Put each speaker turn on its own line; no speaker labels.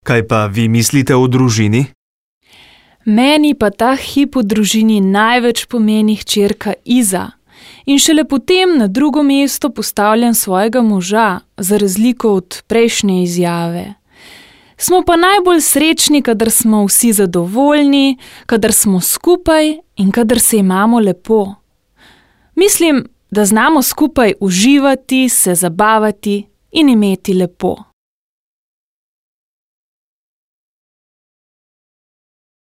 Kaj pa vi mislite o družini?
Meni pa ta hip v družini največ pomeni hčerka Iza in šele potem na drugo mesto postavljam svojega moža, za razliko od prejšnje izjave. Smo pa najbolj srečni, kadar smo vsi zadovoljni, kadar smo skupaj in kadar se imamo lepo. Mislim, da znamo skupaj uživati, se zabavati in imeti lepo.